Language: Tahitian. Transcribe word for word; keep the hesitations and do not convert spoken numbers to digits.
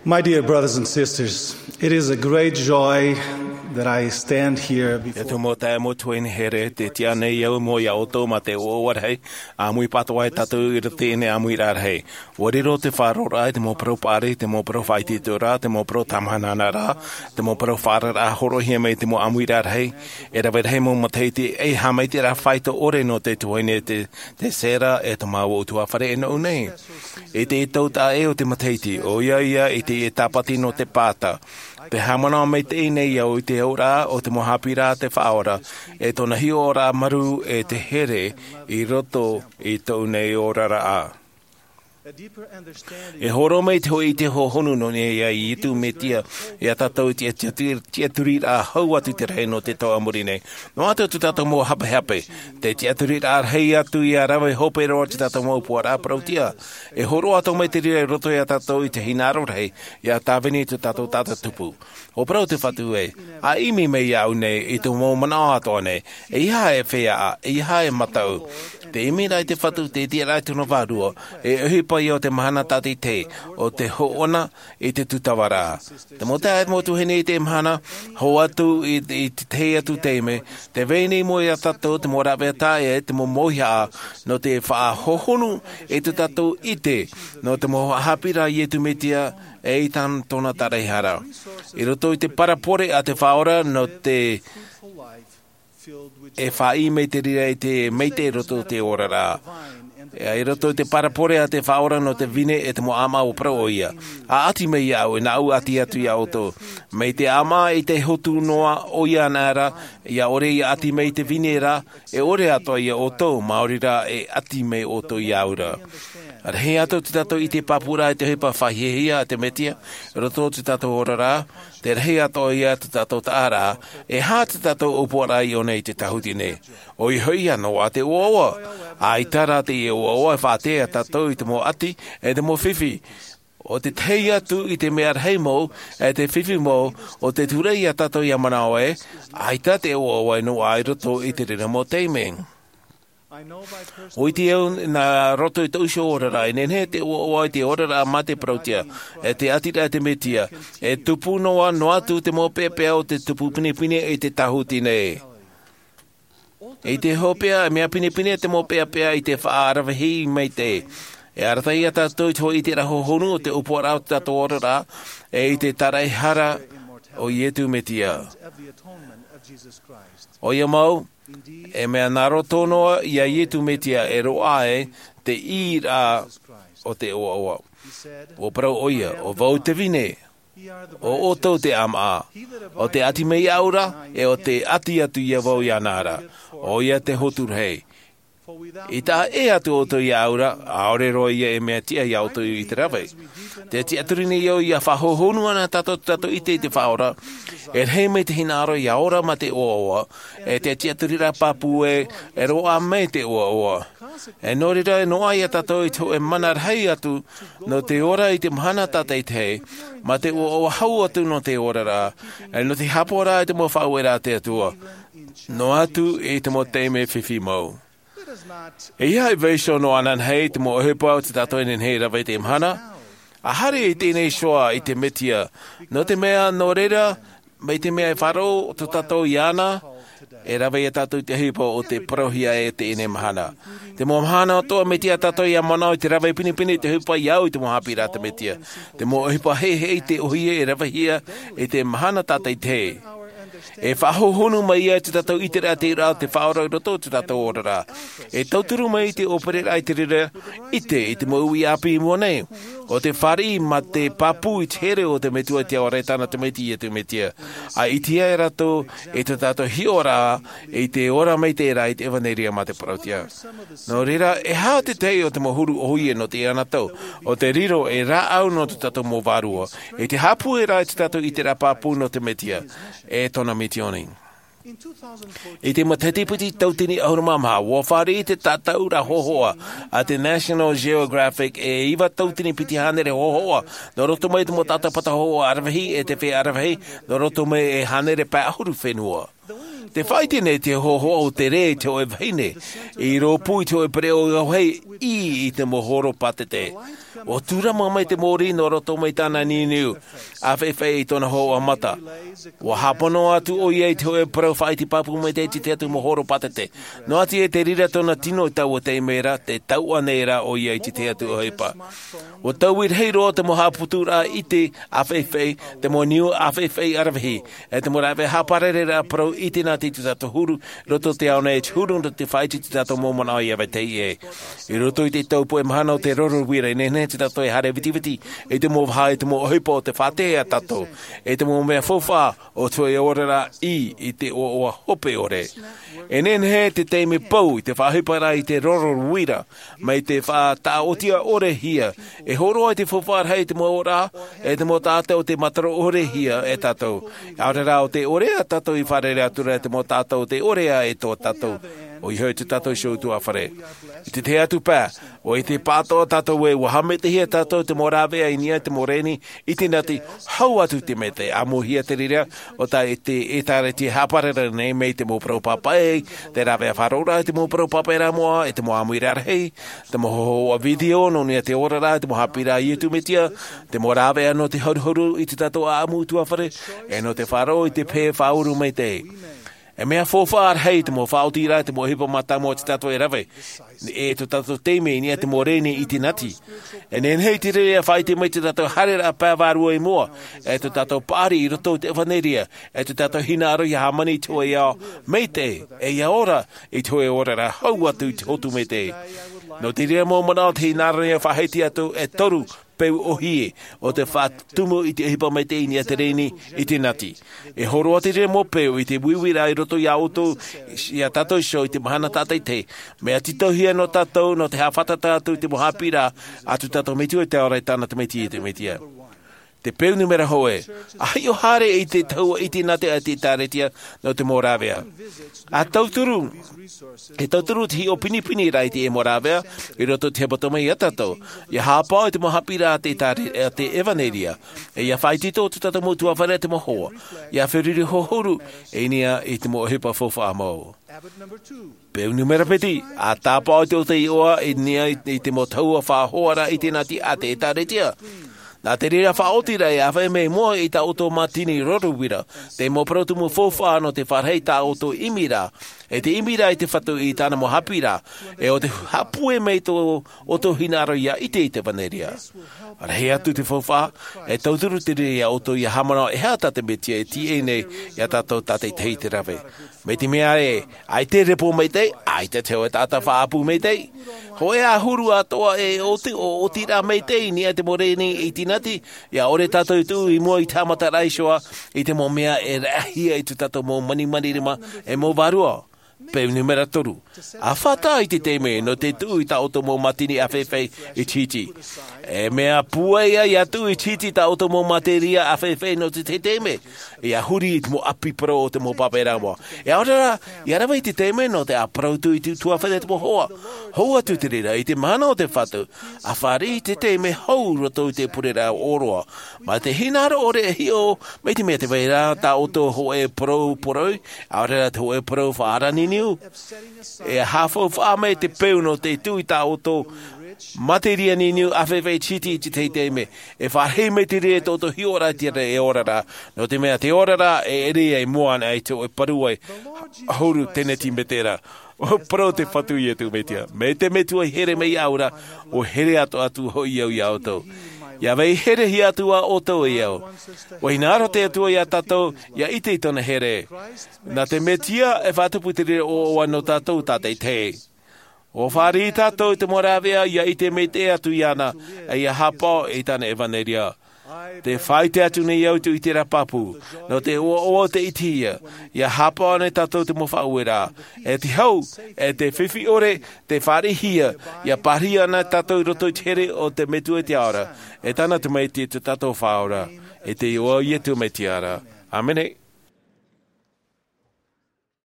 My dear brothers and sisters, it is a great joy that I stand here before E tō mau taeaʻe, mau tuahine here, tē tiʻa nei au i mua ia ʻoutou ma te ʻoaʻoa rahi, ʻāmui pātoʻa tātou i roto i teie ʻāmuiraʻa rahi. ʻUa riro te faʻaroʻoraʻa i te mau parau paʻari, te mau parau faʻaitoitoraʻa, te mau parau tāmahanahana, te mau parau faʻaararaʻa hōroʻahia mai i te mau ʻāmuiraʻa rahi. E rave rahi mau matahiti, e haʻamaitaʻiraʻa faito ʻore nō te tuahine te, te Sarah, e tō māua ʻutuāfare e nō ʻō nei. I te taʻata ʻē o te matahiti, ʻoia ia i te, i te tāpati nō te pāta. Tē haʻamanaʻo maitaʻi nei au i te auraʻa o te mau haʻapiʻiraʻa a te Faʻaora, e tōna hiʻoraʻa marū e te here i roto i tōʻu nei oraraʻa. E hōroʻa mai te hōʻē ʻite hohonu nō niʻa ia Iesu Mesia ia tātou i te tiʻa-, tiʻa-, tiʻaturiraʻa hau atu i te rahi nō te tau a muri nei. Noa atu tō tātou mau hapehape, te tiʻaturiraʻa rahi atu ia rave hope roa tō tātou mau ʻōpuaraʻa parauʻtiʻa. E hōroʻa atoʻa mai te reira i roto ia tātou i te hinaʻaro rahi, ia tāvini tō tātou taʻata tupu. ʻUa parau te Fatu ē, ʻa ʻimi mai iāʻu nei i tō mau manaʻo atoʻa nei, ʻeiaha e feaʻa, ʻeiaha e mataʻu. Tē ʻimi ra ai te Fatu, tē tiʻa ra ai tōna Vārua, e ʻohipa ia o te mahana tātaʻitahi, ʻo te hoʻona i te tūtavaraʻa. Te mau taeaʻe, mau tuahine, i teie mahana, hoʻi atu i, i te tahi atu taime, tē vai nei i mua ia tātou te mau rāveʻa taʻa ʻē, te mau mauhaʻa, nō te faʻahohonu i tō tātou ʻite, nō te mau haʻapiʻiraʻa a Iesu Mesia, e i tāna, tōna taraehara. I roto i te parabole a te Faʻaora nō te, e faʻaʻī mai te reira i te maitaʻi i roto i te oraraʻa. E i roto i te parabole a te Faʻaora nō te vine e te mau ʻāmaʻa, ʻua parau ʻoia. ʻA ʻati mai iāʻu, e nāʻu ʻa ʻati atu ia ʻoutou. Mai te ʻāmaʻa i te hotu noa, ʻoia anaʻe ra, ʻia ʻore ia ʻati mai te vine ra, e ʻore atoʻa ia ʻoutou, maori rā e ʻati mai ʻoutou iāʻu ra. Rahi atu tō tātou ʻite pāpūraʻa i te ʻohipa faʻahiahia a te Mesia, i roto i tō tātou oraraʻa, tē rahi atoʻa ia tō tātou taʻaraʻa, e aha tō tātou ʻōpuaraʻa i ʻō nei i te tāhuti nei. ʻOia hoʻi ā, noaʻa te ʻoaʻoa. ʻAita rā teie ʻoaʻoa e faʻaʻite ia tātou i te mau ʻati, e te mau fifi. ʻO te tahi atu i te mea rahi mau, e te fifi mau, ʻo te tūraʻi ia tātou ʻia manaʻo ē, ʻaita te ʻoaʻoa e noaʻa i roto i te reira mau taime. ʻUa ʻite au nā roto i tōʻu iho oraraʻa, e nehenehe te ʻoaʻoa i te oraraʻa mā te parauʻtiʻa, e te ʻatiraʻa a te Mesia, e tupu noa, noa atu te mau peʻapeʻa o te tupu pinepine i te tāhuti nei. I te hopeʻa, e mea pinepine te mau peʻapeʻa i te faʻaravehi maitaʻi. E arataʻi ia tātou i te hōʻē ʻiteraʻa hohonu o te ʻōpuaraʻa o tō tātou oraraʻa, e i te taraehara o Iesu Mesia. ʻOia mau, e mea nā roto noa ia Iesu Mesia e roaʻa ai te ʻīraʻa o te ʻoaʻoa. ʻUa parau ʻoia, ʻo vau te vine, ʻo ʻoutou te ʻāmaʻa, ʻo tē ʻati mai iāʻu ra, e ʻo tē ʻati atu ia vau iāna ra, ʻoia te hotu rahi. I taʻa ʻē atu ʻoutou iāʻu ra, ʻaore roa ia e mea tiʻa ia ʻoutou i te rave. Tē tiʻaturi nei au ʻia faʻahohonu ana tātou, tātou ʻite i te Faʻaora, e rahi mai te hinaʻaro ʻia ora mā te ʻoaʻoa, e te tiʻaturiraʻa pāpū ē, e roaʻa mai te ʻoaʻoa. E nō reira, e noaʻa ia tātou i te hōʻē mana rahi atu, nō te ora i te mahana tātaʻitahi, mā te ʻoaʻoa hau atu nō te oraraʻa, e nō te haʻapaʻoraʻa i te mau faʻaueraʻa a te Atua, noa atu i te mau taime fifi mau. ʻEiaha e vaiiho noa ananahi i te mau ʻohipa o tō tātou e nehenehe e rave i teie mahana. ʻA haere i teie nei iho i te Mesia, nō te mea, nō reira, mai te mea e faʻaroʻo tō tātou iāna, e rave ia tātou i te ʻohipa o tē parauhia ai i teie nei mahana. Te mau mahana atoʻa, mea tiʻa tātou ʻia manaʻo i te rave pinepine i te ʻohipa ʻia au i te mau haʻapiʻiraʻa a te Mesia. Te mau ʻohipa heheʻe i te ʻōhie e ravehia i te mahana tātaʻitahi. E faʻahohonu mai ia i tō tātou ʻiteraʻa te ʻīraʻa o te Faʻaora i roto i tō tātou oraraʻa. E tauturu mai i te ʻōpereraʻa i te reira ʻite i te mau uʻi ʻāpī i mua nei. ʻO te fāriʻi mā te pāpū i te here o te Metua i te Ao Araʻi Tāna Tamaiti, Iesu Mesia. ʻA ʻitehia e rātou i tō tātou hiʻoraʻa i te ora maitaʻi ra i te ʻevaneria mā te parauʻtiʻa. Nō reira, e aha te tahi o te mau huru ʻōhie nō teie anotau, ʻo te riro ei rāʻau nō tō tātou mau vārua, i te haʻapūʻeraʻa i tō tātou ʻiteraʻa pāpū nō te Mesia, e tōna misioni. I te matahiti piti tauatini ʻahuru mā maha, ʻua fāriʻi te tātaʻuraʻa hōhoʻa a te National Geographic, e iva tauatini piti hānere hōhoʻa, nō roto mai i te mau tātāpata hōhoʻa aravihi e te feiā aravihi, nō roto mai e hānere pae ʻahuru fenua. Te faʻaite nei te hohoʻa o te rē i te hoʻe vahine i rōpū i te hoʻe pereʻoʻo i te mau horo pātete. Ua tūrama mai te mōrī nō roto mai tāna niuniu ʻāfaʻifaʻi i tōna hohoʻa mata. Ua hāpono atu ʻoia i te hoʻe parau faʻaite pāpū mai te ʻite atu mau horo pātete. Noa atu i te reira tōna tino i taua taime ra te tauʻa nei rā ʻoia i te ʻite atu ʻohipa. Ua taui rahi roa te mau haʻaputuraʻa ʻite ʻāfaʻifaʻi, te mau niu ʻāfaʻifaʻi ʻaravihi, e te mau rāveʻa haʻaparareraʻa parau i te nā te tū tātou huru roto te ao nei e te huru nō te faʻaite tū tātou mau manaʻo i ʻave tei ʻē. I roto i te tau puʻe mahana o te roro uira i nehenehe tū tātou e haere vitiviti i te mau vaha i te mau ʻohipa o te faʻatehe a tātou i te mau mea faufaʻa o te hoʻe oraraʻa i te ʻoaʻoa hope ʻore. E nehenehe te taime pou i te faʻaʻohipa rā i te roro uira mai te faʻataʻotia ʻore hia e hōroa i te faufaʻa rahi i te mau ora e te mau taʻata o te mataro ʻore hia e tātou. ʻAore rā o te ʻore a tātou i fārerei atu rā i te mau taʻata o te ʻore a e tō tātou ʻoia hoʻi tū tātou iho utuafare. I te tahi atu pae ʻoia i te pātoʻa tātou e ua haʻamaitaʻihia tātou te mau rāveʻa i niʻa i te mau reni i te nati hau atu te mea te ʻāmuhia te reira o tā i te ʻētāretia haʻapararera nei mai te mau parau pāpaʻi, te rāveʻa faʻaroʻoraʻa i te mau parau pāpaʻi rā moʻa i te mau ʻāmuiraʻa rahi, te mau hohoʻa video nō niʻa i te oraraʻa i te mau haʻapiʻiraʻa a iesu mesia, te mau rāveʻa nō te haruharu i tū tātou ʻaʻamu utuafare, e nō te faʻaroʻo i te pehe faʻauru maitaʻi. E mea faufaʻa rahi te mau faʻaotiraʻa te mau ʻohipa mātāmua o tū tātou e rave e tō tātou taime i niʻa i te mau reni i te nati. E nehenehe i te reira e faʻaite mai tū tātou haereraʻa pae vārua i mua e tō tātou paʻari i roto i te ʻevanelia e tō tātou hinaʻaro ia hāmani i te hoʻe ao maitaʻi e ia ora i te hoʻe oraraʻa hau atu i te hotu maitaʻi. Nō te reira mau manaʻo te hinaʻaro ia faʻahiti atu e toru peu ʻōhie o te faʻatumu i te ʻohipa maitaʻi i niʻa i te reni i te nati. E hōroa te reira mau peu i te uiuiraʻa i roto iā ʻoutou, iā tātou iho i te mahana tātaʻitahi. Mea tītauhia nō tātou nō te haʻafātata atu i te mau haʻapiʻiraʻa a tū tātou metua i te ao ra i tāna tamaiti iesu mesia. Te peu numera hōʻē, a hiʻo haere i te tahua i te nati a te ʻētāretia nō te mau rāveʻa. A tauturu e tauturu te hiʻo pinipini rā i te mau rāveʻa i roto i te hepetoma iā tātou ia hāpaʻo i te mau haʻapiʻiraʻa a te ʻētāretia, a te ʻevanelia, e ia faʻaitoito tō tātou mau utuafare a te mau hoa ia feruri hohonu i niʻa i te mau ʻohipa faufaʻa mau. Peu numera piti, a tāpaʻo i te ʻoto iʻoa i niʻa i te mau tahua faʻahoaraʻa i te nati a te ʻētāretia. Nā te reira faʻaoti rā e ʻāfaʻi mai mua i tā ʻoutou mātini roro uira te mau parau tumu faufaʻa nō te fāriʻi i tā ʻoutou ʻimiraʻa e te ʻimiraʻa i te fatu i tāna mau haʻapiʻiraʻa, e ʻo te haʻapūai mai tō ʻoutou hinaʻaro ia ʻite i te ʻevanelia. Rahi atu te faufaʻa, e tauturu te reira iā ʻoutou ia haʻamanaʻo e aha tā te mesia e tīaʻi nei iā tātou tātaʻitahi i te rave. Mai te mea ē, ʻaita e repo maitaʻi, ʻaita te hoʻe taʻata faʻaʻapu maitaʻi. Hōʻē ʻahuru atoʻa e ʻoti ʻo ʻotiraʻa maitaʻi i niʻa i te mau reni i te nati, ia ʻore tātou e tuʻu i mua i te haʻamataraʻa iho ā i te mau mea e raʻahia i tō tātou mau manimani rima e mau vārua. Peu numera toru, a fātata i te taime nō te tuʻu i tā ʻoutou mau mātini ʻāfaʻifaʻi i te hiti. E mea pūai ia tuʻu i te hiti tā ʻoutou mau mātini ʻāfaʻifaʻi nō te tahi taime ia huri i te mau ʻapi parau o te mau pāpaʻi rā moʻa. E ʻaore rā ia rave i te taime nō te ʻāparau tuʻu i te utuafare a te mau hoa. Hou atu te reira i te mahana o te fatu, a fāriʻi i te taime hou roto i te pureraʻa ʻōroʻa. Mai te hinaʻaro ʻore e hiʻo mai te mea te vai ra tā ʻoutou hōʻē parau poroi, ʻaore rā te hōʻē parau faʻaara niuniu, e haʻafaufaʻa mai te peu nō te tuʻu i tā ʻoutou materia niuniu ʻāfaʻifaʻi i te hiti i te tahi taime. E fāriʻi mai te reira i tō ʻoutou hiʻoraʻa i te ora ra, nō te mea te ora ra e ʻere ai mua ana i te hōʻē parau ʻahuru teneti metera. ʻUa parau te fatu iā iesu mesia, mai te metua i here mai iāʻu ra, ʻua here atoʻa atu hoʻi au iā ʻoutou. Ia vai herehia atu ā ʻoutou e au. ʻUa hinaʻaro te atua iā tātou ia ʻite i tōna here. Nā te mesia e faʻatupu te reira ʻoaʻoa nō tātou tātaʻitahi. ʻUa fāriʻi tātou i te mau rāveʻa ia ʻite maitaʻi atu iāna, e ia hāpaʻo i tāna ʻevanelia. Te faʻaite atu nei au i te ʻiteraʻa pāpū nō te ʻoaʻoa o te ʻitehia, ia hāpaʻo ana tātou te mau faʻaueraʻa, e te hau, e te fifi ʻore te fāriʻihia. Ia pārahi ana tātou i roto i te here o te metua i te ao ra, e tāna tamaiti tō tātou faʻaora, e te iʻoa o iesu mesia ra. ʻĀmene.